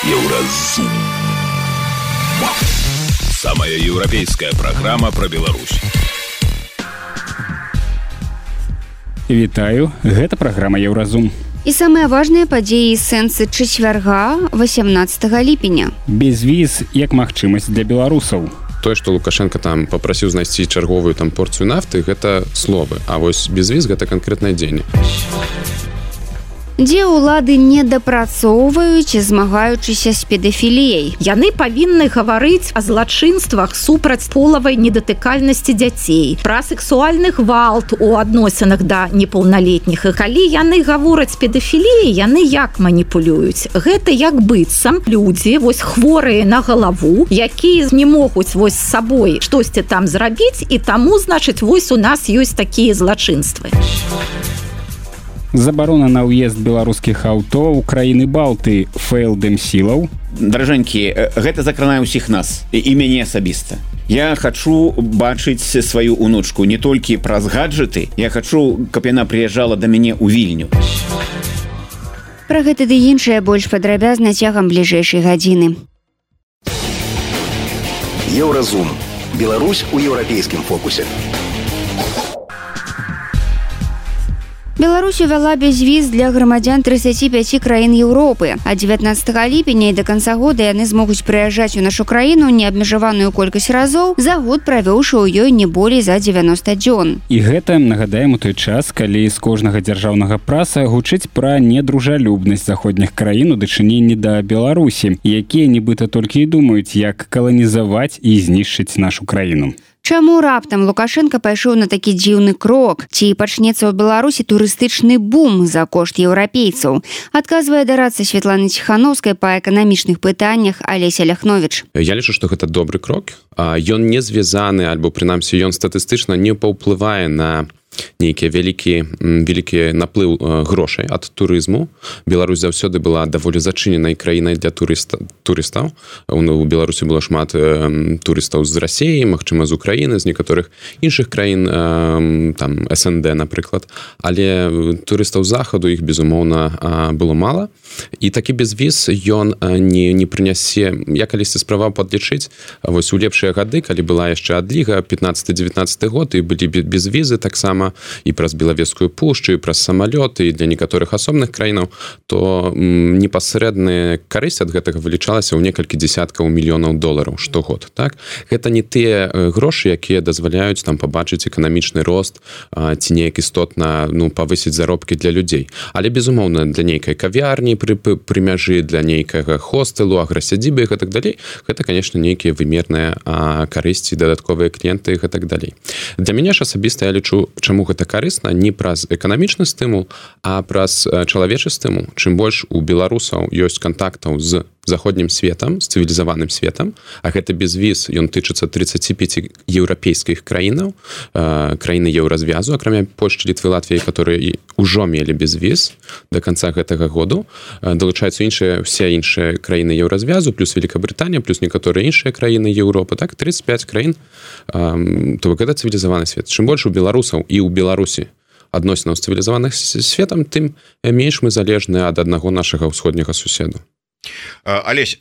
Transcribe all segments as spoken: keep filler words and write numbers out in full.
Еўразум. Самая еўрапейская программа про Беларусь. Вітаю, гэта праграма Еўразум. І самыя важныя падзеі і сэнсы чацвярга восемнадцатага ліпеня. Безвіз як магчымасць для беларусаў. Тое, што Лукашенко там папрасіў знайсці чарговую там порцыю нафты, гэта словы, а вось безвіз гэта канкрэтнае дзеянне. Дзе ўлады не дапрацоўваюць, змагаючыся з педафіліяй. Яны павінны гаварыць о злачынствах супраць полавай недатыкальнасці дзяцей, пра сексуальны гвалт у адносінах да непаўналетніх. І калі яны гавораць педафіліяй, яны як маніпулююць? Гэта як быццам людзі, вось хворыя на галаву, якія не могуць вось з сабой штосьці там зрабіць, і таму, значыць, вось у нас ёсць такія злачынствы. Забарона на ўезд беларускіх аўто ў краіны Балты фэйлдэм сілаў. Даражэнькі, гэта закранае ўсіх нас і мяне асабіста. Я хачу бачыць сваю унучку не толькі праз гаджеты, я хачу, каб яна прыязджала да мяне ў Вільню. Пра гэта ды іншае больш падрабязна цягам бліжэйшай гадзіны. Еўразум. Беларусь у еўрапейскім фокусе. Беларусь увяла безвіз для грамадзян тридцати пяти краін Еўропы. А дзевятнаццатага ліпеня і да канца года яны змогуць прыязджаць у нашу краіну неабмежаваную колькасць разоў, за год правёўшы ў ёй не болей за дзевяноста дзён. І гэта, нагадаем, у той час, калі з кожнага дзяржаўнага праса гучыць пра недружалюбнасць заходніх краін у дачыненні да Беларусі, якія нібыта толькі і думаюць, як каланізаваць і знішчыць нашу краіну. Чаму раптам Лукашенко пайшоў на такі дзіўны крок? Ці пачнецца ў Беларусі турыстычны бум за кошт еўрапейцаў? Адказвае дарадца Святланы Ціхановскай па эканамічных пытаннях Алеся Ляхновіч. Я лічу, што гэта добры крок. Ён не звязаны, альбо прынамсі ён статыстычна не паўплывае на нейкі вялікі вялікі наплыў грошай ад турызму. Беларусь заўсёды была даволі зачыненай краінай для турыста, турыстаў. У Беларусі было шмат э, турыстаў з Расіі, магчыма, з Украіны, з некаторых іншых краін, э, там эс эн дэ, напрыклад. Але турыстаў з захаду іх, безумоўна, э, было мала. І такі безвіз ён не, не прынясе, я калісьці спрабаваў падлічыць, вось у лепшыя гады, калі была яшчэ адліга, пятнаццаты-дзевятнаццаты год, і былі безвізы таксама і праз Белавежскую пушчу, і праз самалёты, і для некаторых асобных краінаў, то м, непасрэдная карысць ад гэтага вылічалася ў некалькі дзесяткаў мільёнаў долараў штогод. Так? Гэта не тыя грошы, якія дазваляюць там пабачыць эканамічны рост, а, ці неяк істотна ну, павысіць заробкі для людзей. Але, безумоўна, для нейкай кавярні пры, пры мяжы, для нейкага хостэлу, аграсядзібы і гэтак далей, гэта, канешне, нейкія вымерныя а, карысці, дадатковыя кліенты і гэтак далей. Для мяне ж асабіста я лічу, чаму гэта карысна не праз эканамічны стымул, а праз чалавечы стымул. Чым больш у беларусаў ёсць кантактаў з заходнім светам, з цывілізаваным светам, а гэта безвіз, ён тычыцца тридцати пяти еўрапейскіх краінаў, краіны еўразвязу, акрамя Польшчы, Літвы, Латвіі, которые ўжо мелі безвіз да канца гэтага году. Далучаюцца іншыя, усе іншыя краіны еўразвязу, плюс Великабрытанія, плюс некаторыя іншыя краіны Еўропы, так, тридцать пять краін, то гэта цывілізаваны свет. Чым больш у беларусаў і ў Беларусі адносінаў з цывілізаваных светам, тым менш мы залежны ад аднаго нашага ўсходняга суседу. Алесь,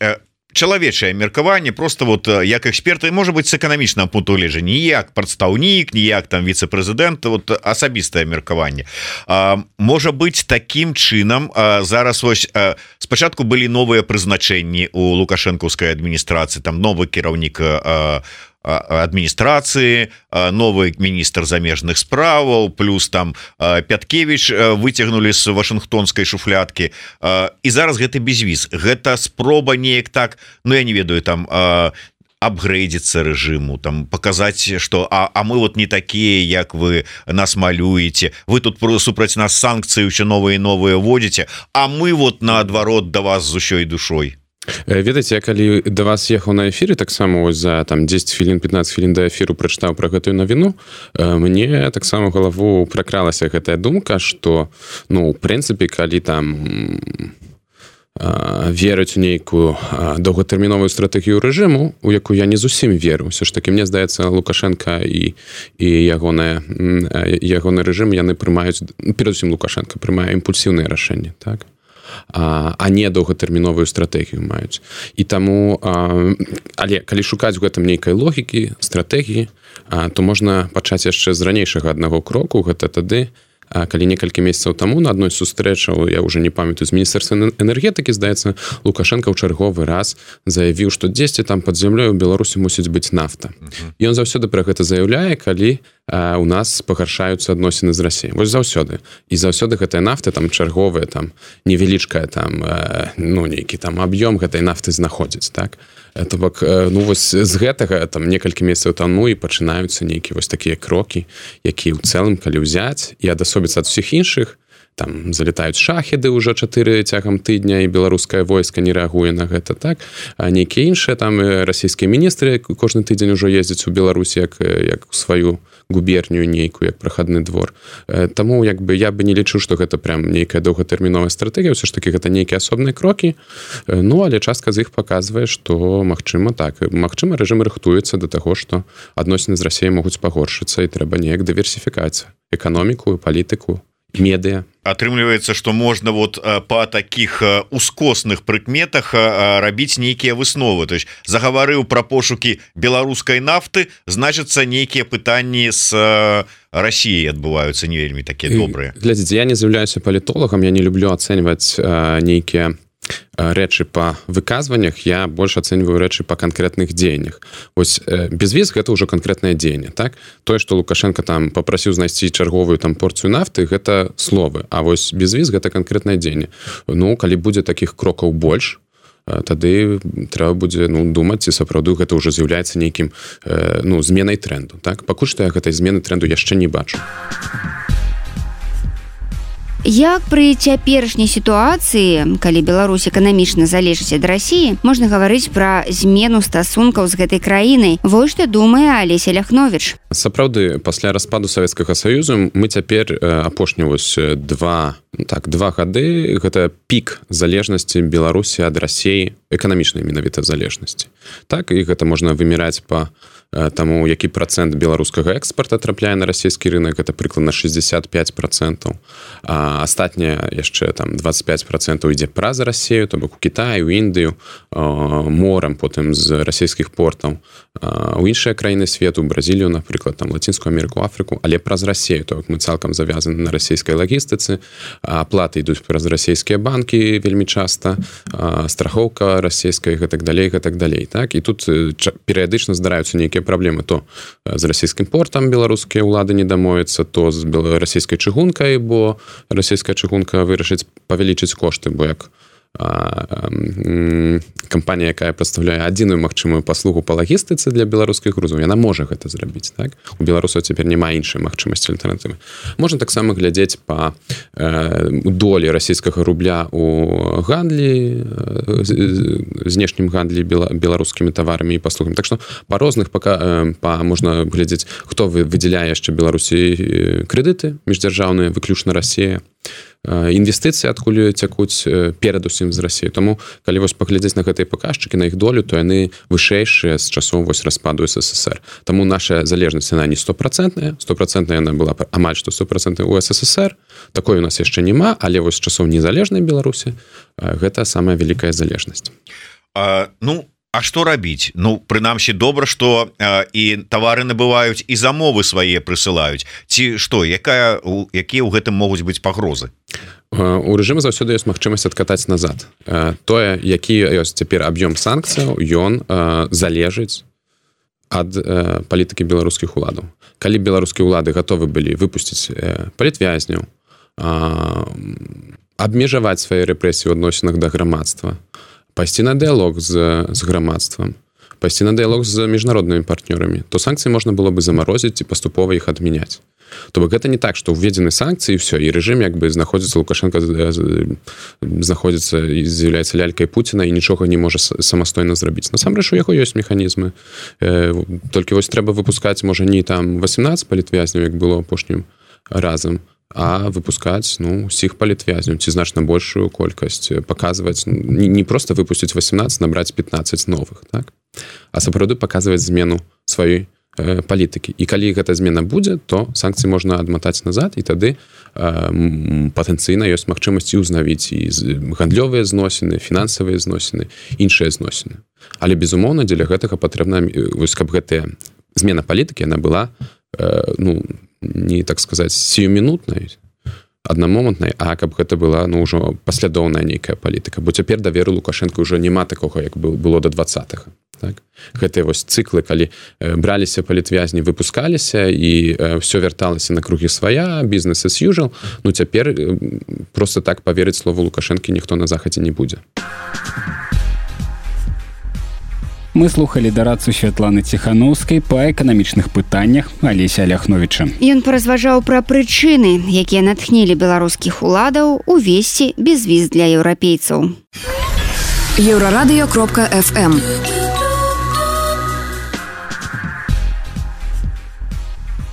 чалавечае меркаванне просто вот як эксперты, можа быць, з эканамічнага пункту гледжання, не як прадстаўнік, не як там віцэ-прэзідэнт, вот асабістае меркаванне. Можа быць, такім чынам зараз вось спачатку былі новыя прызначэнні у лукашэнкаўскай адміністрацыі, там новы кіраўнік адміністрацыі, новы міністр замежных справаў, плюс там Пяткевіч выцягнулі з вашынгтонскай шуфлядкі, і зараз гэты безвіз, гэта спроба неяк так, ну я не ведаю, там апгрэйдзіцца рэжыму, там паказаць, што а, а мы вот не такія, як вы нас малюеце, вы тут супраць нас санкцыі ўсё новыя і новыя вводзіце, а мы вот наадварот да вас з усёй душой. Ведаеце, я калі да вас ехаў на эфіры, таксама ось за там дзесяць хвілін, пятнаццаць хвілін да эфіру прачытаў пра гэтую навіну, мне таксама ў галаву пракралася гэтая думка, што ну, у прынцыпе, калі там верыць у нейкую доўгатэрміновую стратэгію рэжыму, у якую я не зусім веру. Ўсё ж такі, мне здаецца, Лукашенка і, і ягоны, ягоны рэжым, яны прымаюць, перадусім Лукашенка, прымае імпульсіўныя рашэнні, так? а, а не доўгатэрміновую стратэгію маюць. І таму, а, але калі шукаць у гэтым нейкай логікі, стратэгіі, а, то можна пачаць яшчэ з ранейшага аднаго кроку, гэта тады, калі некалькі месяцаў таму на адной сустрэчаў, я ўжо не памятаю, з міністэрства энергетыкі, здаецца, Лукашенко ў чарговы раз заявіў, што дзесьці там пад зямлёй у Беларусі мусіць быць нафта. Ён заўсёды пра гэта заяўляе, калі а, у нас пагаршаюцца адносіны з Расіяй. Вось заўсёды. І заўсёды гэтая нафта там чарговая, там невялічкая там, ну, нейкі там аб'ём гэтай нафты знаходзіць, так? То бок, ну, вось з гэтага там некалькі месяцаў таму і пачынаюцца нейкія вось такія крокі, якія ў цэлым, калі ўзяць і адасобіцца ад усіх іншых, там залетаюць шахеды ўжо чатыры цягам тыдня, і беларускае войска не рэагуе на гэта, так? А нейкія іншыя там расійскія міністры кожны тыдзень ужо ездзяць у Беларусі як, як у сваю губернію нейкую, як прахадны двор. Таму, як бы, я бы не лічыў, што гэта прям нейкая доўгатэрміновая стратэгія, ўсё ж такі гэта нейкія асобныя крокі, ну, але частка з іх паказвае, што, магчыма, так, магчыма, рэжым рыхтуецца да таго, што адносіны з Расіяй могуць пагоршыцца, і трэба неяк дыверсіфікаць эканоміку, палітыку, медыа. Атрымліваецца, што можна вот па такіх ускосных прыкметах рабіць нейкія высновы. То есть загаварыў пра пошукі беларускай нафты, значыцца нейкія пытанні з Расіяй адбываюцца не вельмі такія добрыя. Глядзіце, я не з'яўляюся палітолагам, я не люблю ацэньваць нейкія рэчы па выказваннях, я больш ацэньваю рэчы па канкрэтных дзеяннях. Вось безвіз гэта ўжо канкрэтнае дзеянне, так? Тое, што Лукашенко там папрасіў знайсці чарговую там порцыю нафты, гэта словы, а вось безвіз гэта канкрэтнае дзеянне. Ну, калі будзе такіх крокаў больш, тады трэба будзе, ну, думаць, ці сапраўды гэта ўжо з'яўляецца нейкім, ну, зменай тренду, так? Пакуль што я гэтай змены тренду яшчэ не бачу. Як пры цяперашняй сітуацыі, калі Беларусь эканамічна залежыць ад Расіі, можна гаварыць пра змену стасункаў з гэтай краінай? Вось што думае Алеся Ляхновіч. Сапраўды, пасля распаду Савецкага Саюзу мы цяпер апошні вось два, так, два гады, гэта пік залежнасці Беларусі ад Расіі, эканамічнай менавіта залежнасці. Так, і гэта можна вымераць па таму, які працэнт беларускага экспарта трапляе на расійскі рынок, гэта прыкладна шестьдесят пять процентов. А астатняе яшчэ там двадцать пять процентов ідзе праз Расію, то бок у Кітаю, у Індыю, морам, потым з расійскіх портаў, у іншыя краіны свету, Бразілію, напрыклад, там Лацінскую Амерыку, Афрыку, але праз Расію, то бок мы цалкам завязаны на расійскай лагістыцы, аплаты ідуць праз расійскія банкі вельмі часта, страхоўка расійская, гэтак далей, гэтак далей, так? І тут перыядычна здараюцца нейкія праблемы, то з расійскім портам беларускія ўлады не дамовяцца, то з расійскай чыгункай, бо расійская чыгунка вырашыць павялічыць кошты, бо як кампанія, якая прадстаўляе адзіную магчымую паслугу па лагістыцы для беларускіх грузаў, яна можа гэта зрабіць, так? У беларусаў цяпер няма іншай магчымасці альтэрнатывы. Можна таксама глядзець па долі расійскага рубля у гандлі, знешнім гандлі беларускімі таварамі і паслугамі. Так што па розных пака, па, можна глядзець, хто выдзяляе яшчэ Беларусі крэдыты міждзяржаўныя, выключна Расія, інвестыцыі адкуль цякуць перадусім з Расіі. Таму, калі вось паглядзець на гэтыя паказчыкі, на іх долю, то яны вышэйшыя з часоў вось распаду СССР. Таму наша залежнасць, яна не стопроцентная, стопроцентная яна была амаль што сто процентов у СССР, такой у нас яшчэ няма, але вось з часоў незалежнай Беларусі гэта самая вялікая залежнасць. А, ну, А што рабіць? Ну, прынамсі, добра, што э, і тавары набываюць, і замовы свае прысылаюць. Ці што, якая, у, якія ў гэтым могуць быць пагрозы? У рэжыму заўсёды ёсць магчымасць адкатаць назад. Тое, які ёсць цяпер аб'ём санкцыяў, ён залежыць ад палітыкі беларускіх уладаў. Калі беларускія ўлады гатовы былі выпусціць палітвязняў, абмежаваць свае рэпрэсіі ў адносінах да грамадства, пайсці на дыялог з, з грамадствам, пайсці на дыялог з міжнароднымі партнёрамі, то санкцыі можна было бы замарозіць і паступова іх адмяняць. То бок гэта не так, што ўведзены санкцыі і ўсё, і рэжым як бы знаходзіцца, Лукашенко знаходзіцца і з'яўляецца лялькай Пуціна і нічога не можа самастойна зрабіць. Насамрэч у яго ёсць механізмы. Толькі вось трэба выпускаць, можа, не там восемнадцать палітвязняў, як было апошнім разам, а выпускаць, ну, усіх палітвязняў, ці значна большую колькасць, паказваць, не, не проста выпусціць восемнадцать, набраць пятнадцать новых, так? А сапраўды паказваць змену сваёй палітыкі. І калі гэта змена будзе, то санкцыі можна адматаць назад, і тады патэнцыйна ёсць магчымасць і ўзнавіць і гандлёвыя зносіны, фінансавыя зносіны, іншыя зносіны. Але, безумоўна, дзеля гэтага патрэбна, вось, каб гэтая змена палітыкі, яна была, ну, не, так сказаць, сіюмінутнай, аднамомантнай, а каб гэта была, ну, ўжо паслядоўная нейкая палітыка. Бо цяпер даверу Лукашэнка ўжо няма такога, як было да двадцатага. Так? Гэтыя вось цыклы, калі браліся палітвязні, выпускаліся і все вярталася на кругі свая, бізнес as usual, ну цяпер просто так паверыць слову Лукашэнкі ніхто на захадзе не будзе. Мы слухали дарадцу Святланы Ціхановскай па эканамічных пытаннях Алеся Ляхновіча. Ён паразважаў пра прычыны, якія натхнілі беларускіх уладаў увесці безвіз для еўрапейцаў. еўрарадыё кропка эф эм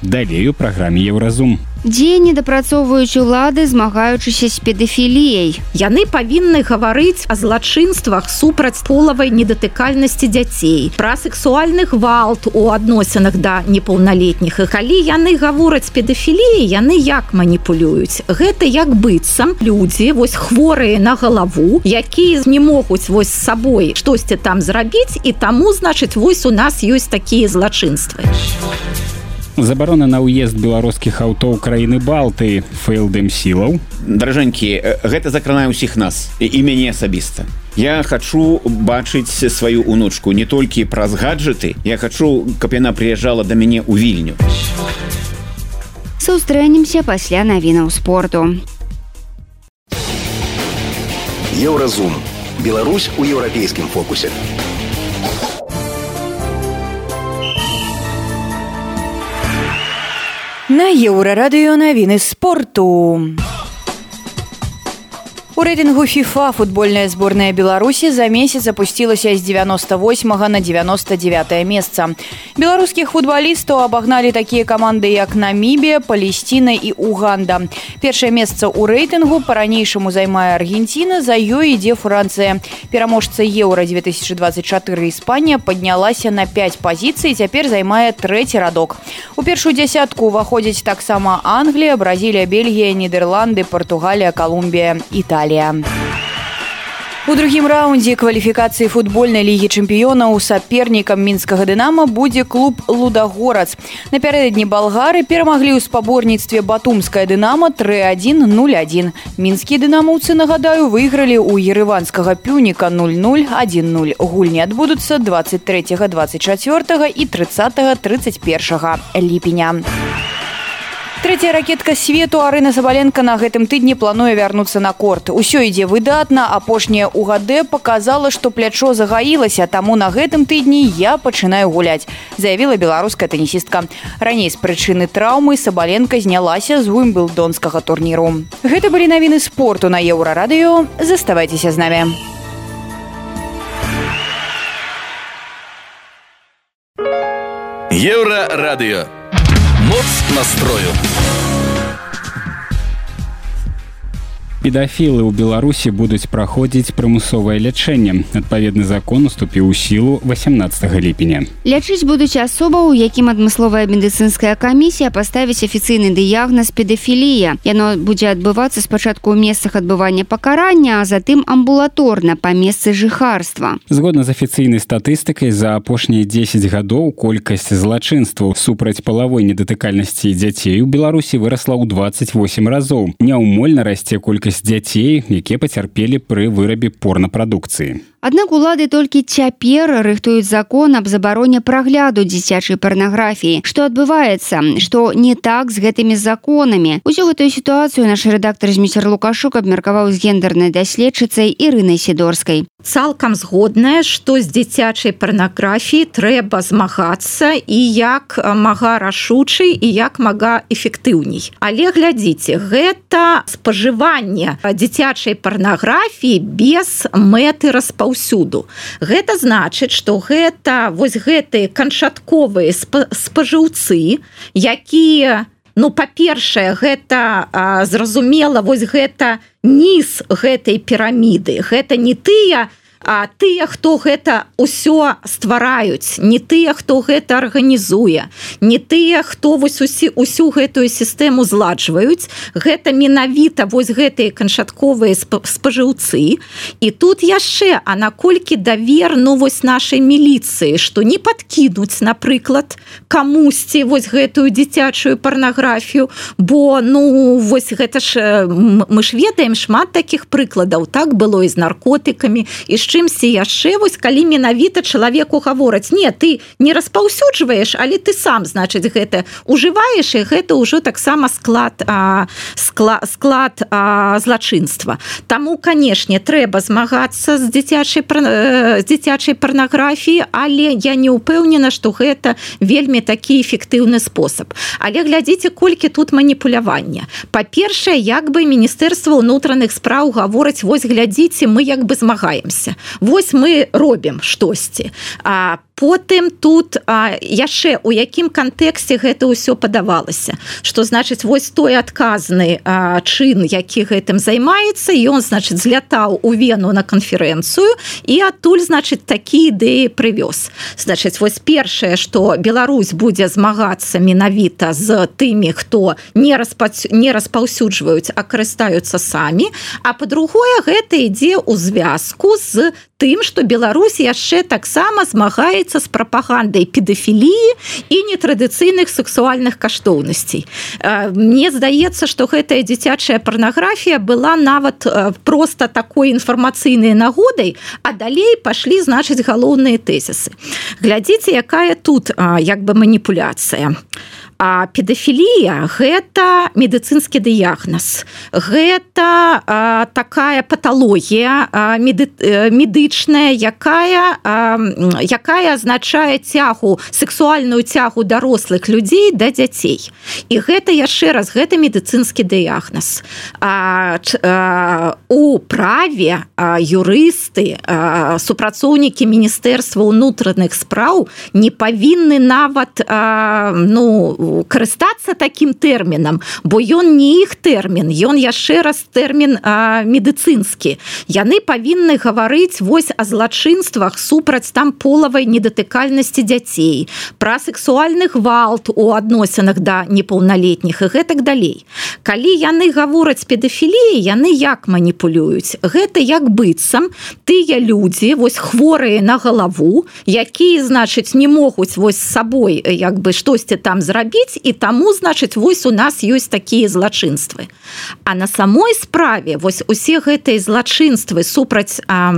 Далей у праграме Еўразум. Дзе недапрацоўваюць улады, змагаючыся з педафіліяй. Яны павінны гаварыць о злачынствах супраць полавай недатыкальнасці дзяцей, пра сексуальны гвалт у адносінах да непаўналетніх. І калі яны гавораць педафіліяй, яны як маніпулююць? Гэта як быццам людзі, вось хворыя на галаву, якія не могуць вось з сабой штосьці там зрабіць, і таму, значыць, вось у нас ёсць такія злачынствы. Забарона на ўезд беларускіх аўто ў краіны Балтыі, фэйлдэм сілаў. Даражэнькі, гэта закранае ўсіх нас, і, і мяне асабіста. Я хачу бачыць сваю унучку не толькі праз гаджеты, я хачу, каб яна прыязджала да мяне ў Вільню. Сустрэнемся пасля навінаў спорту. Еўразум. Беларусь у еўрапейскім фокусе. На Еўрарадыё навіны спорту. У рэйтынгу FIFA футбольная зборная Беларусі за месяц апусцілася з девяносто восьмага на девяносто девятое месца. Беларускіх футбалістаў абагналі такія каманды, як Намібія, Палесціна і Уганда. Першае месца ў рэйтынгу па-ранейшаму займае Аргенціна, за ёй ідзе Францыя. Пераможца Еўра две тысячи двадцать четыре Іспанія паднялася на пять пазіцый і цяпер займае трэці радок. У першую дзясятку ўваходзяць таксама Англія, Бразілія, Бельгія, Нідерланды, Партугалія, Калумбія, Італія. У другім раўндзе кваліфікацыі футбольнай лігі чэмпіёнаў сапернікам мінскага «Дынамо» будзе клуб «Лудагорац». Напярэдадні балгары перамаглі ў спаборніцтве батумскае «Дынамо» тры адзін нуль адзін. Мінскія «Дынамаўцы», нагадаю, выйгралі ў ерэванскага «Пюніка» нуль нуль адзін нуль. Гульні адбудуцца двадцать трэцяга двадцать чацвёртага і трыццатага трыццаць першага ліпеня. Трэцяя ракетка свету Арына Сабаленка на гэтым тыдні плануе вярнуцца на корт. Усё ідзе выдатна, апошняя УГД паказала, што плячо загаілася, таму на гэтым тыдні я пачынаю гуляць, заявіла беларуская тэнісістка. Раней з прычыны траўмы Сабаленка знялася з уімблдонскага турніру. Гэта былі навіны спорту на Еўрарадыё. Заставайцеся з намі. Еўрарадыё. Моц настрою. Педафілы ў Беларусі будуць праходзіць прымусовае лячэнне. Адпаведны закон уступіў у сілу восемнадцатага ліпеня. Лячыць будуць асобаў, якім адмысловая медыцынская камісія паставіць афіцыйны дыягназ педафілія. Яно будзе адбывацца спачатку ў месцах адбывання пакарання, а затым амбулаторна па месцы жыхарства. Згодна з афіцыйнай статыстыкай, за апошнія дзесяць гадоў колькасць злачынстваў супраць палавой недатыкальнасці дзяцей у Беларусі вырасла ў двадцать восемь разоў. Няўмольна расце колькасць дзяцей, якія пацярпелі пры вырабе порнапрадукцыі. Аднак улады толькі цяпер рыхтуюць закон аб забароне прагляду дзіцячай парнаграфіі. Што адбываецца? Што не так з гэтымі законамі? Усю гэтую сітуацыю наш рэдактар Зміцер Лукашук абмеркаваў з гендернай даследчыцай Ірынай Сідорскай. Цалкам згодная, што з дзіцячай парнаграфіі трэба змагацца і як мага рашучай і як мага эфектыўней. Але глядзіце, гэта спажыванне дзіцячай парнаграфіі без мэты распаўсюду. Усюду. Гэта значыць, што гэта вось гэтыя канчатковыя спажыўцы, якія, ну, па-першае, гэта а, зразумела, вось гэта низ гэтай піраміды. Гэта не тыя а тыя хто гэта ўсё ствараюць, не тыя хто гэта арганізуе, не тыя хто вось усі усю гэтую сістэму зладжваюць, гэта менавіта вось гэтыя канчатковыя спажыўцы. І тут яшчэ, а наколькі давер ну вось нашай міліцыі, што не падкінуць, напрыклад, камусьці вось гэтую дзіцячую парнаграфію, бо ну вось гэта ж мы ж ведаем шмат такіх прыкладаў, так было і з наркотыкамі, і з чымсьці яшчэ, вось калі менавіта чалавеку гавораць, не, ты не распаўсюджваеш, але ты сам, значыць, гэта ужываеш, і гэта ўжо таксама склад, а, склад, склад а, злачынства. Таму, канешне, трэба змагацца з дзіцячай, з дзіцячай парнаграфіі, але я не ўпэўнена, што гэта вельмі такі эфектыўны спосаб. Але глядзіце, колькі тут маніпулявання. Па-першае, як бы Міністэрства ўнутраных спраў гавораць, вось глядзіце, мы як бы змагаемся. Вось мы робім штосьці. А потым тут а, яшчэ у якім кантэксце гэта ўсё падавалася, што значыць вось той адказны а, чын, які гэтым займаецца, ён значыць злятаў у Вену на канферэнцыю і адтуль значыць такі ідэі прывёз. Значыць вось першае, што Беларусь будзе змагацца менавіта з тымі, хто не, распа... не распаўсюджваюць, а карыстаюцца самі, а па-другое, гэта ідзе ў звязку з тым, што Беларусь яшчэ таксама змагаецца з прапагандай педафіліі і нетрадыцыйных сексуальных каштоўнасцей. Мне здаецца, што гэтая дзіцячая парнаграфія была нават проста такой інфармацыйнай нагодай, а далей пашлі, значыць, галоўныя тэзісы. Глядзіце, якая тут як бы маніпуляцыя. А педафілія – гэта медыцынскі дыягназ. Гэта а, такая паталогія а, меды, медычная, якая, а, якая азначае цягу, сексуальную цягу дарослых людзей да дзяцей. І гэта яшчэ раз, гэта медыцынскі дыягназ. А, а, у праве а, юрысты, а, супрацоўнікі Міністэрства ўнутраных спраў не павінны нават а, ну, карыстацца такім тэрмінам, бо ён не іх тэрмін, ён яшчэ раз тэрмін а, медыцынскі. Яны павінны гаварыць вось о злачынствах супраць там полавай недатыкальнасці дзяцей, пра сексуальны гвалт у адносінах да непаўналетніх і гэтак далей. Калі яны гавораць педафіліі, яны як маніпулююць? Гэта як быццам тыя людзі, вось хворыя на галаву, якія, значыць, не могуць вось з сабой як бы штосьці там зрабіць, і таму, значыць, вось у нас ёсць такія злачынствы. А на самой справе вось усе гэтыя злачынствы супраць а,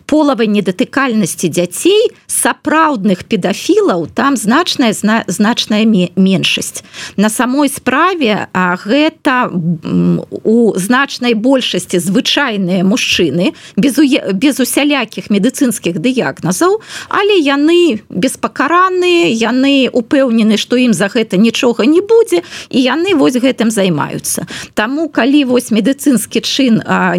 полавай недатыкальнасці дзяцей, сапраўдных педафілаў, там значная, зна, значная меншасць. На самой справе а, гэта у значнай большасці звычайныя мужчыны, без, без усялякіх медыцынскіх дыягназаў, але яны беспакараныя, яны упэўнены, што ім за гэта нічога не будзе, і яны вось гэтым займаюцца. Таму, калі вось медыцынскі чын а,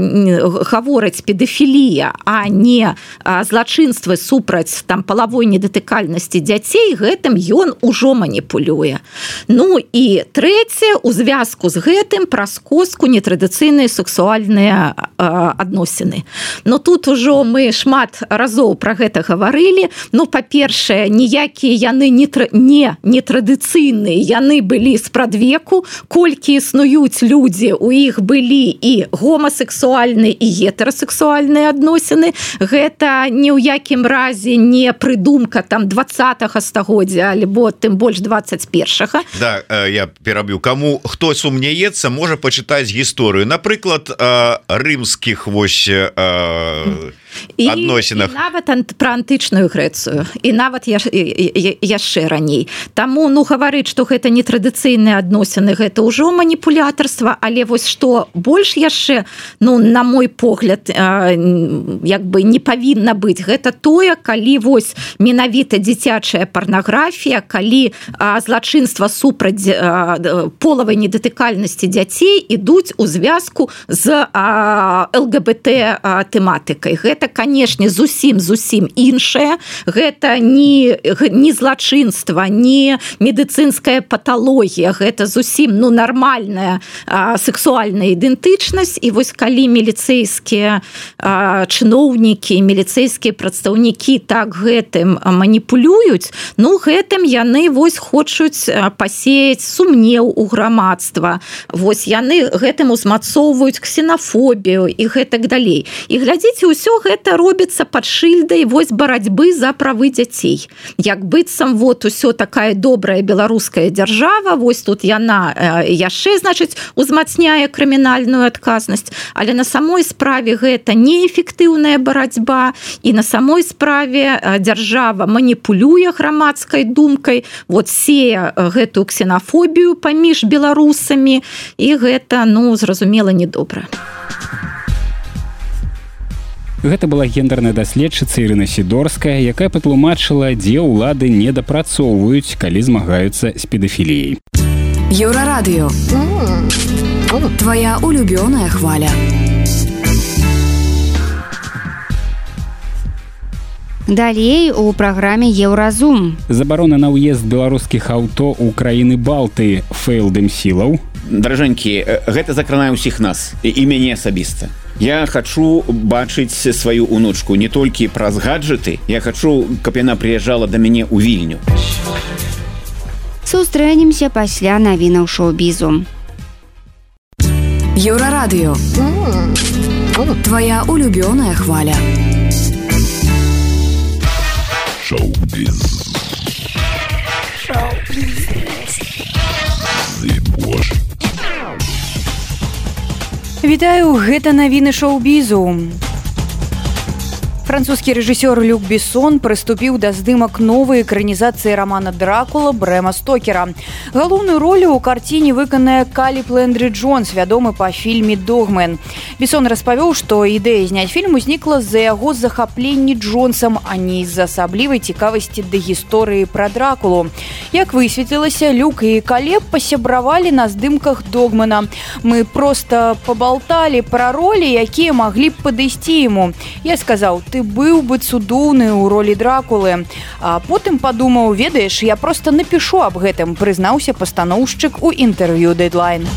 гавораць педафілія, а не а, злачынствы супраць там палавой недатыкальнасці дзяцей, гэтым ён ужо маніпулюе. Ну і трэцяе, у звязку з гэтым праз костку нетрадыцыйныя сексуальныя а, адносіны. Но тут ужо мы шмат разоў пра гэта гаварылі. Ну, па-першае, ніякія яны не, не нетрадыцыйныя, яны былі спрадвеку, колькі існуюць людзі, у іх былі і гомасексуальныя, і гетэрасексуальныя адносіны. Гэта ні ў якім разе не прыдумка там двадцатага стагоддзя, альбо тым больш двадцать першага. Да, я пераб'ю. Каму хто сумняецца, можа пачытаць гісторыю. Напрыклад, рымскіх вось і, адносінах. І нават пра антычную Грэцыю, і нават яш, яшчэ раней. Таму, ну, гаварыць, што гэта нетрадыцыйныя адносіны, гэта ўжо маніпулятарства, але вось што больш яшчэ, ну, на мой погляд, як бы не павінна быць, гэта тое, калі вось менавіта дзіцячая парнаграфія, калі злачынства супраць полавай недатыкальнасці дзяцей ідуць у звязку з ЛГБТ тэматыкай. Гэта гэта канешне зусім зусім іншае, гэта не, не злачынства, не медыцынская паталогія, гэта зусім ну нармальная а, сексуальная ідэнтычнасць. І вось калі міліцэйскія а, чыноўнікі, міліцэйскія прадстаўнікі так гэтым маніпулююць, ну гэтым яны вось хочуць пасеяць сумнеў у грамадства. Вось яны гэтым узмацоўваюць ксенафобію і гэтак далей. І глядзіце, усё гэта робіцца пад шыльдай вось барацьбы за правы дзяцей. Як быццам вот усё такая добрая беларуская дзяржава, вось тут яна яшчэ, значыць, узмацняе крымінальную адказнасць, але на самой справе гэта неэфектыўная барацьба, і на самой справе дзяржава маніпулюе грамадскай думкай, вот сея гэтую ксенафобію паміж беларусамі, і гэта, ну, зразумела, недобра. Гэта была гендерная даследчыца Ірына Сідорская, якая патлумачыла, дзе ўлады недапрацоўваюць, калі змагаюцца з педафіліяй. Еўрарадыё. Твоя улюбёная хваля. Далей у праграме Еўразум. Забарона на ўезд беларускіх аўто ў краіны Балты фэйлдым сілаў. Даражэнькі, гэта закранае ўсіх нас, і мяне асабіста. Я хачу бачыць сваю унучку не толькі праз гаджеты, я хачу, каб яна прыязджала да мяне ў Вільню. Сустрэнемся пасля навінаў шоу-бізу. Еўрарадыё. Твоя улюбёная хваля. Шоу-біз. Шоу-біз. Зыбош. Вітаю, гэта навіны шоу-бізу. Французскі рэжысёр Люк Бессон прыступіў да здымак новай экранізацыі рамана Дракула Брэма Стокера. Галоўную ролю ў карціне выканае Каліб Лэндры Джонс, вядомы па фільме «Догмен». Бессон распавёў, што ідэя зняць фільм узнікла з-за яго захапленні Джонсам, а не з-за асаблівай цікавасці да гісторыі пра Дракулу. Як высветлілася, Люк і Калеб пасябравалі на здымках «Догмена». Мы проста пабалталі пра ролі, якія маглі б падысці яму. Я сказаў, ты быў бы цудоўны ў ролі Дракулы. А потым падумаў, ведаеш, я проста напішу аб гэтым, прызнаўся пастаноўшчык у інтэрв'ю Deadline.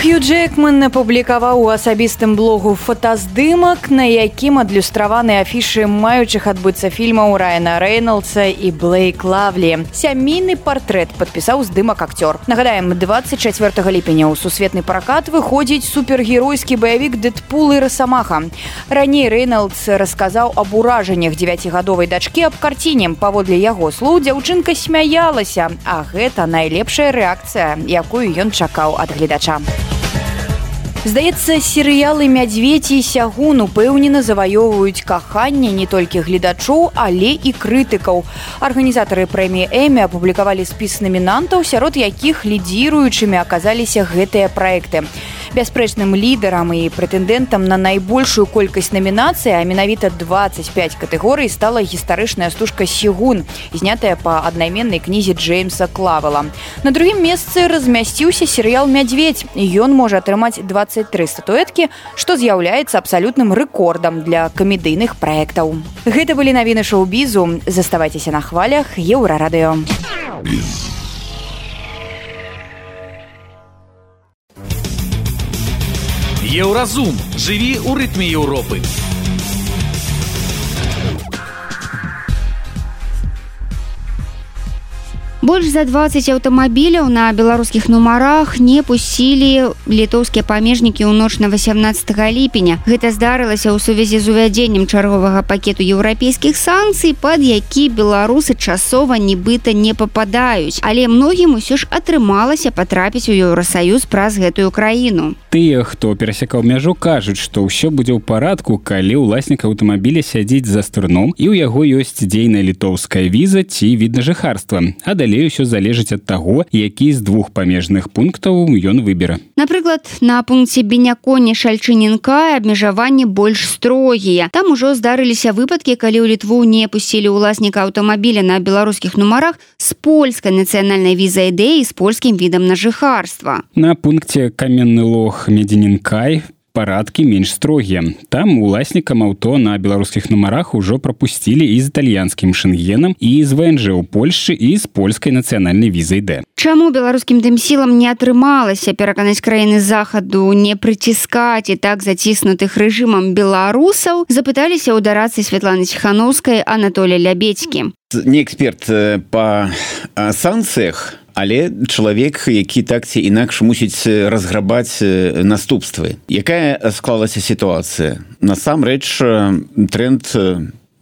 Хью Джекман апублікаваў у асабістым блогу фотаздымак, на якім адлюстраваны афішы маючых адбыцца фільмаў Райана Рэйнолдса і Блейк Лавлі. Сямейны партрэт падпісаў здымак акцёр. Нагадаем, дваццаць чацвёртага ліпеня ў сусветны пракат выходзіць супергеройскі баявік Дэдпул і Расамаха. Раней Рэйнолдс расказаў аб уражаннях дзевяцігадовай дачкі аб карціне. Паводле яго слоў, дзяўчынка смяялася, а гэта найлепшая рэакцыя, якую ён чакаў ад гледача. Здаецца, серыялы «Мядзведзь» і «Сягун» упэўнена заваёўваюць каханне не толькі гледачоў, але і крытыкаў. Арганізатары прэміі Эмі апублікавалі спіс намінантаў, сярод якіх лідзіруючымі аказаліся гэтыя праекты. Бясспрэчным лідарам і прэтэндэнтам на найбольшую колькасць намінацый, а менавіта дваццаць пяць катэгорый, стала гістарычная стужка «Сягун», знятая па аднайменнай кнізе Джеймса Клавела. На другім месцы размясціўся серыял «Мядзведзь». Ён можа атрымаць дваццаць тры статуэткі, што з'яўляецца абсалютным рэкордам для камедыйных праектаў. Гэта былі навіны шоу-бізу. Заставайцеся на хвалях Еўрарадыё. Еўразум. Жыві ў рытме Еўропы. Больш за дваццаць аўтамабіляў на беларускіх нумарах не пусцілі літоўскія памежнікі ў ноч на васямнаццатага ліпеня. Гэта здарылася ў сувязі з увядзеннем чарговага пакету еўрапейскіх санкцый, пад які беларусы часова нібыта не пападаюць. Але многім усё ж атрымалася патрапіць у Еўрасаюз праз гэтую краіну. Тыя, хто перасякаў мяжу, кажуць, што ўсё будзе ў парадку, калі ўласнік аўтамабіля сядзіць за стырном і ў яго ёсць дзейная літоўская віза ці відна жыхарства. А далей ўсё залежыць ад таго, які з двух памежных пунктаў ён выбера. Напрыклад, на пункце Беняконе-Шальчынінка абмежаванні больш строгія. Там ужо здарыліся выпадкі, калі ў Літву не пусцілі ўласніка аўтамабіля на беларускіх нумарах з польскай нацыянальнай візай Д і з польскім відам на жыхарства. На пункце Каменны Лог Медзінінкай парадкі менш строгія. Там уласнікам аўто на беларускіх нумарах ужо прапусцілі і з італьянскім шэнгенам, і з вэ эн жэ ў Польшчы, і з польскай нацыянальнай візай Д. Чаму беларускім дэмсілам не атрымалася пераканаць краіны захаду не прыціскаць і так заціснутых рэжымам беларусаў, запыталіся ў дарадцы Святланы Ціхановскай Анатолія Лябедзькі. Не эксперт па санкцыях, але чалавек, які так ці інакш мусіць разграбаць наступствы. Якая склалася сітуацыя? Насамрэч тренд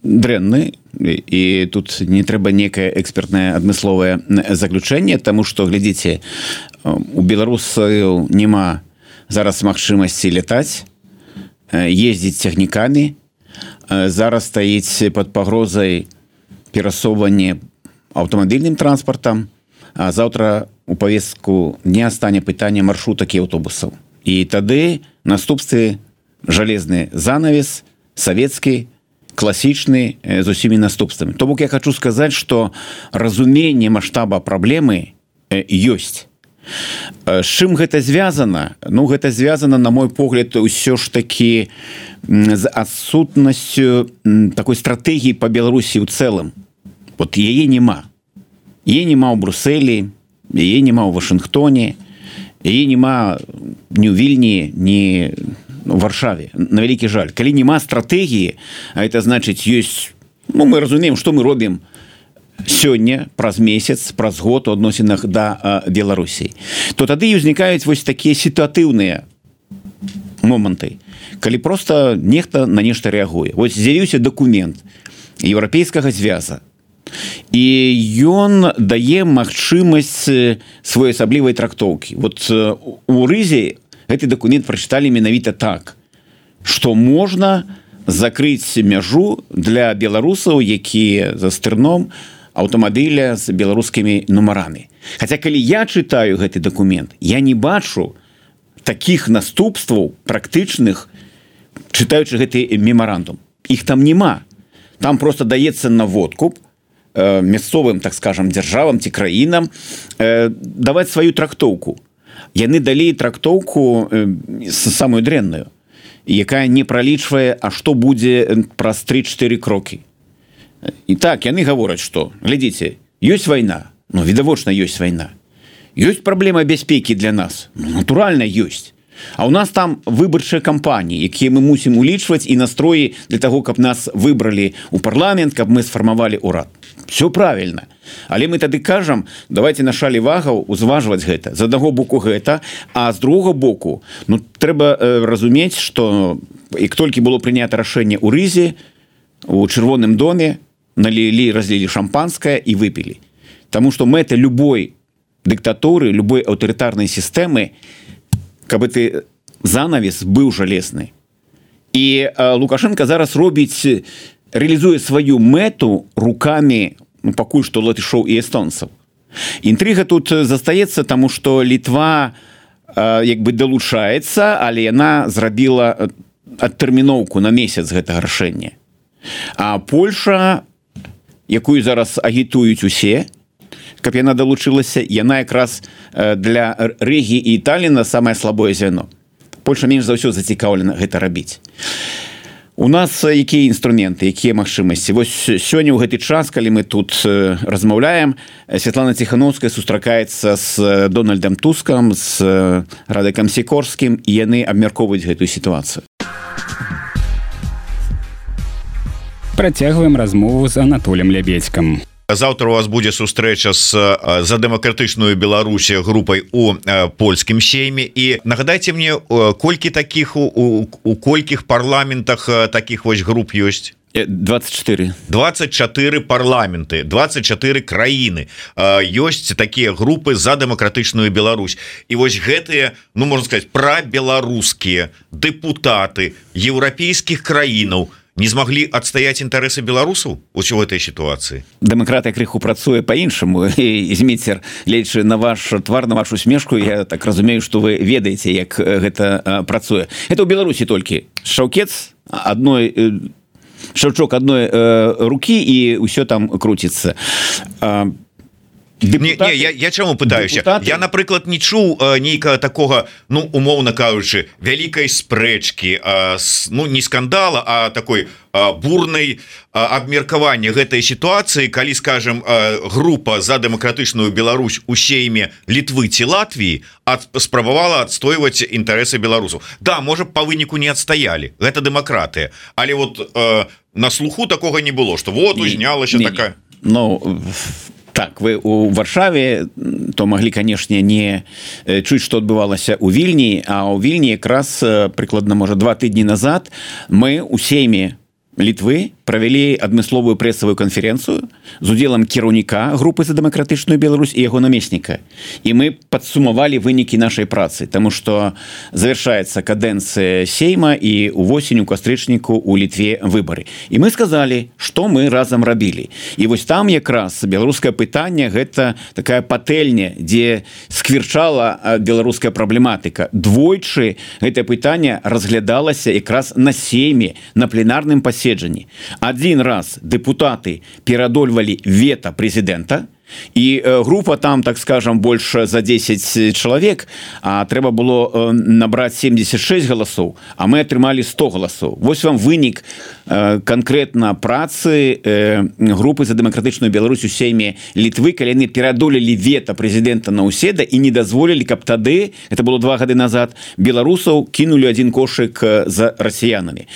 дрэнны, і тут не трэба некае экспертнае адмысловае заключэнне, таму што, глядзіце, у беларусаў няма зараз магчымасці лятаць, ездзіць цягнікамі, зараз стаіць пад пагрозай перасоўванне аўтамабільным транспартам, а заўтра у павестку дня стане пытанне маршрутак і аўтобусаў. І тады наступствы жалезны занавес, савецкі, класічны, з усімі наступствамі. То бок я хочу сказаць, што разуменне маштаба праблемы ёсць. З чым гэта звязана? Ну, гэта звязана, на мой погляд, усё ж такі з адсутнасцю такой стратэгіі па Беларусі ў цэлым. Вот яе няма. Яе няма ў Брусэлі, яе няма ў Вашынгтоне, яе няма ні ў Вільні, ні ў Варшаве. На вялікі жаль. Калі няма стратэгіі, а это значыць ёсць... Ну, мы разумеем, што мы робім сёння, праз месяц, праз год у адносінах да Беларусі. То тады і ўзнікаюць вось такія сітуатыўныя моманты, калі проста нехта на нешта рэагуе. Вось з'явіўся дакумент еўрапейскага звяза, і ён дае магчымасць своеасаблівай трактоўкі. Вот у рызе гэты дакумент прачыталі менавіта так, што можна закрыць мяжу для беларусаў, якія за стырном аўтамабіля з беларускімі нумарамі. Хаця калі я чытаю гэты дакумент, я не бачу такіх наступстваў практычных, чытаючы гэты мемарандум. Іх там няма. Там просто даецца наводку мясцовым, так скажем, дзяржавам ці краінам даваць сваю трактоўку. Яны далі трактоўку самую дрэнную, якая не пралічвае, а што будзе праз тры-чатыры крокі. І так, яны гавораць, што, глядзіце, ёсць вайна, ну, відавочна ёсць вайна. Ёсць праблема бяспекі для нас? Ну, натуральна, ёсць. А у нас там выбарчыя кампаніі, якія мы мусім улічваць і настроі для таго, каб нас выбралі ў парламент, каб мы сфармавалі ўрад. Все правильно. Але мы тады кажам, давайте на шалі вагаў узважваць гэта. З аднаго боку гэта, а з другога боку, ну, трэба э, разумець, што як толькі было прынята рашэнне ў рызе, у чырвоным доме налілі, разлілі шампанскае і выпілі. Таму што мэта любой дыктатуры, любой аўтарытарнай сістэмы, каб ты занавес быў жалезны. І э, Лукашенко зараз робіць, реалізуе сваю мэту рукамі, ну, пакуль што латышоў і эстонцаў. Інтрыга тут застаецца, таму што Літва э, як бы далучаецца, але яна зрабіла адтэрміноўку на месяц гэтага рашэння. А Польша, якую зараз агітуюць усе, каб яна далучылася, яна якраз для Рыгі і Талліна самае слабое звяно. Польша менш за ўсё зацікаўлена гэта рабіць. У нас якія інструменты, якія магчымасці? Вось сёння ў гэты час, калі мы тут размаўляем, Святлана Ціхановская сустракаецца з Дональдам Тускам, з Радыкам Сікорскім, і яны абмяркоўваюць гэтую сітуацыю. Працягваем размову з Анатолем Лябедзькам. Завтра у вас будзе сустрэча з за дэмакратычную Беларусі групай у польскім сейме, і нагадайце мне, колькі такіх у, у, у колькіх парламентах такіх вось груп ёсць? двадцать четыре. двадцать четыре парламенты, двадцать четыре краіны. Ёсць такія групы за дэмакратычную Беларусь. І вось гэтыя, ну можна сказаць, прабеларускія дэпутаты еўрапейскіх краінаў не змаглі адстаяць інтарэсы беларусаў у этой сітуацыі. Дэмакратыя крыху працуе па-іншаму. Зміцер, гледзячы на ваш твар, на вашу смешку, я так разумею, што вы ведаеце, як гэта працуе. Это ў Беларусі толькі шаўкец адной, шаўчок адной рукі, і ўсё там круціцца. Депутаты, не, не, я, я чаму пытаюся депутаты... я напрыклад не чуў э, нейкага такога ну умоўна кажучы вялікай спрэчкі э, с, ну не скандала а такой э, бурнай э, абмеркавання гэтай сітуацыі калі скажем э, група за дэмакратычную Беларусь у сейме Літвы ці Латвіі ад, спрабавала адстойваць інтарэсы беларусаў. Да, можа па выніку не адстаялі, гэта дэмакратыя, але вот э, на слуху такога не было, што вот узнялася такая. Ну так, вы у Варшаве то могли, канешне, не чуць, што адбывалася ў Вільні, а ў Вільні якраз прыкладна можа два тыдні назад мы у сейме Літвы правялі адмысловую прэсавую канферэнцыю з удзелам кіраўніка групы за дэмакратычную Беларусь і яго намесніка. І мы падсумавалі вынікі нашай працы, таму што завершаецца кадэнцыя сейма і увосень у кастрычніку у Літве выбары. І мы сказалі, што мы разам рабілі. І вось там якраз беларускае пытанне гэта такая патэльня, дзе сквірчала беларуская праблематыка. Двойчы гэтае пытанне разглядалася якраз на сейме, на пленарным паседжанні. Один раз депутаты перадольвалі вето президента, і група там, так скажем, больше за десять чалавек, а трэба было набраць семьдесят шесть галасоў, а мы атрымалі сто галасоў. Вось вам вынік конкретно працы групы за дэмакратычную Беларусь у сейме Літвы, калі яны перадолелі вето президента Наўседа і не дазволілі, каб тады, это было два гады назад, беларусаў кінулі один кошык за расіянамі.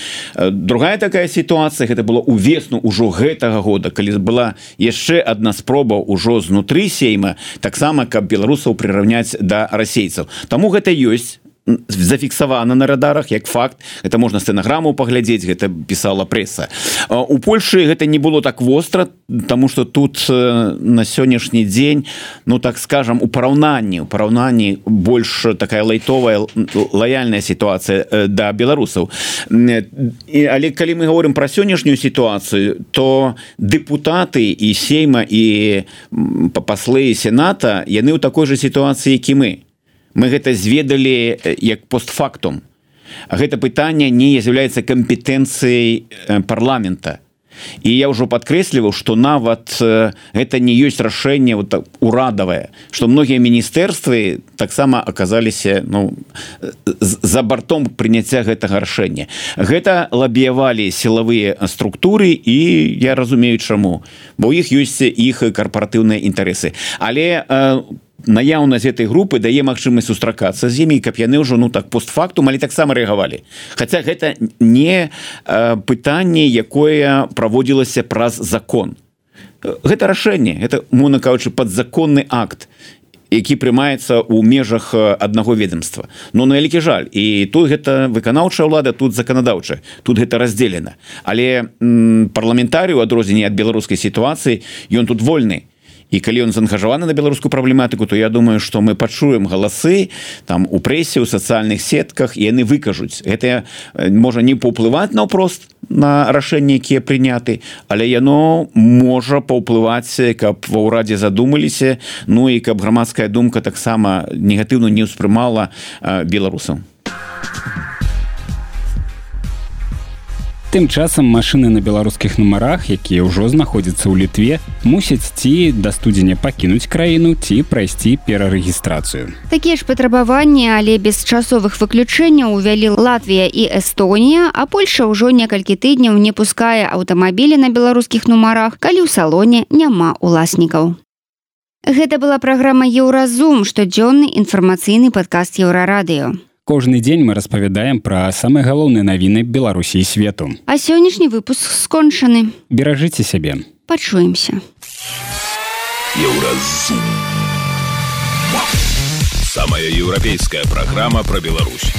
Другая такая сітуацыя, гэта было увесну ўжо гэтага года, калі была яшчэ адна спроба ўжо знутры сейма, таксама каб беларусаў прыраўняць да расейцаў. Таму гэта ёсць зафіксавана на радарах як факт, это можна стэнаграму паглядзець, гэта пісала прэса. У Польшы гэта не было так востра, таму што тут на сённяшні дзень, ну так скажам, у параўнанні у параўнанні больш такая лайтовая лаяльная сітуацыя да беларусаў. Але калі мы говорим пра сённяшнюю сітуацыю, то депутаты і сейма і паслы сената, яны ў такой жа сітуацыі, як і мы. Мы гэта зведалі як постфактум. Гэта пытанне не з'яўляецца кампетэнцыяй парламента. І я ўжо падкрэсліваў, што нават гэта не ёсць рашэнне вот так, урадавае, што многія міністэрствы таксама аказаліся ну, за бартом прыняцця гэтага рашэння. Гэта лабіявалі сілавыя структуры і я разумею чаму, бо ў іх ёсць іх карпаратыўныя інтарэсы. Але наяўнасць гэтай групы дае магчымасць сустракацца з імі, каб яны ўжо ну так постфактум, але таксама рэагавалі. Хаця гэта не э, пытанне, якое праводзілася праз закон. Гэта рашэнне, гэта, мовна кажучы, падзаконны акт, які прымаецца ў межах аднаго ведомства. Но на вялікі жаль, і тут гэта выканаўчая ўлада, тут заканадаўчая, тут гэта раздзелена. Але м, парламентарый у адрозненні ад беларускай сітуацыі, ён тут вольны. І калі ён заангажаваны на беларускую праблематыку, то я думаю, што мы пачуем галасы там у прэсе, у сацыяльных сетках, і яны выкажуць. Гэта можа не паўплываць наўпрост на рашэнні, якія прыняты, але яно можа паўплываць, каб ва ўрадзе задумаліся, ну і каб грамадская думка таксама негатыўна не ўспрымала беларусаў. Тым часам машыны на беларускіх нумарах, якія ўжо знаходзяцца ў Літве, мусяць ці да студзеня пакінуць краіну, ці прайсці перарэгістрацыю. Такія ж патрабаванні, але без часовых выключэнняў увялі Латвія і Эстонія, а Польша ўжо некалькі тыдняў не пускае аўтамабілі на беларускіх нумарах, калі ў салоне няма уласнікаў. Гэта была праграма «Еўразум», штодзённы інфармацыйны падкаст Еўрарадыё. Кожны дзень мы распавядаем пра самыя галоўныя навіны Беларусі і свету. А сённяшні выпуск скончаны. Беражыце сябе. Пачуемся. Еўразум. Самая еўрапейская праграма пра Беларусь.